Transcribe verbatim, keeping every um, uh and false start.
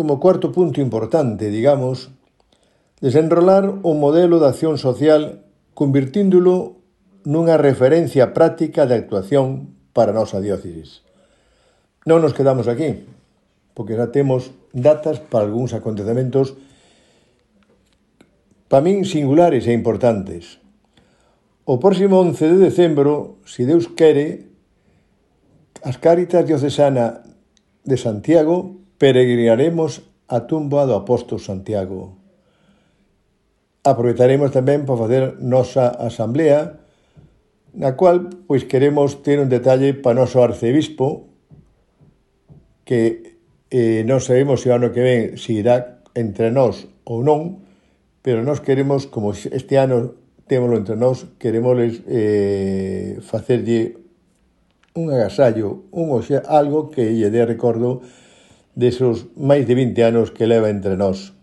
como cuarto punto importante, digamos, desenrolar un modelo de acción social convirtíndolo nunha referencia práctica de actuación para a nosa diócesis. Non nos quedamos aquí, porque xa temos datas para algúns acontecementos para min singulares e importantes. O próximo once de decembro, se Deus quere, as Cáritas Diocesana de Santiago peregrinaremos a tumba do apóstolo Santiago. Aproveitaremos tamén para facer nosa asamblea, na cual pois queremos ter un detalle para o noso arcebispo, que eh, non sabemos se o ano que ven se irá entre nós ou non, pero nós queremos, como este ano témolo entre nós, queremos eh, facerlle un agasallo, un oxe, algo que lle dé recordo desos máis de vinte anos que leva entre nós.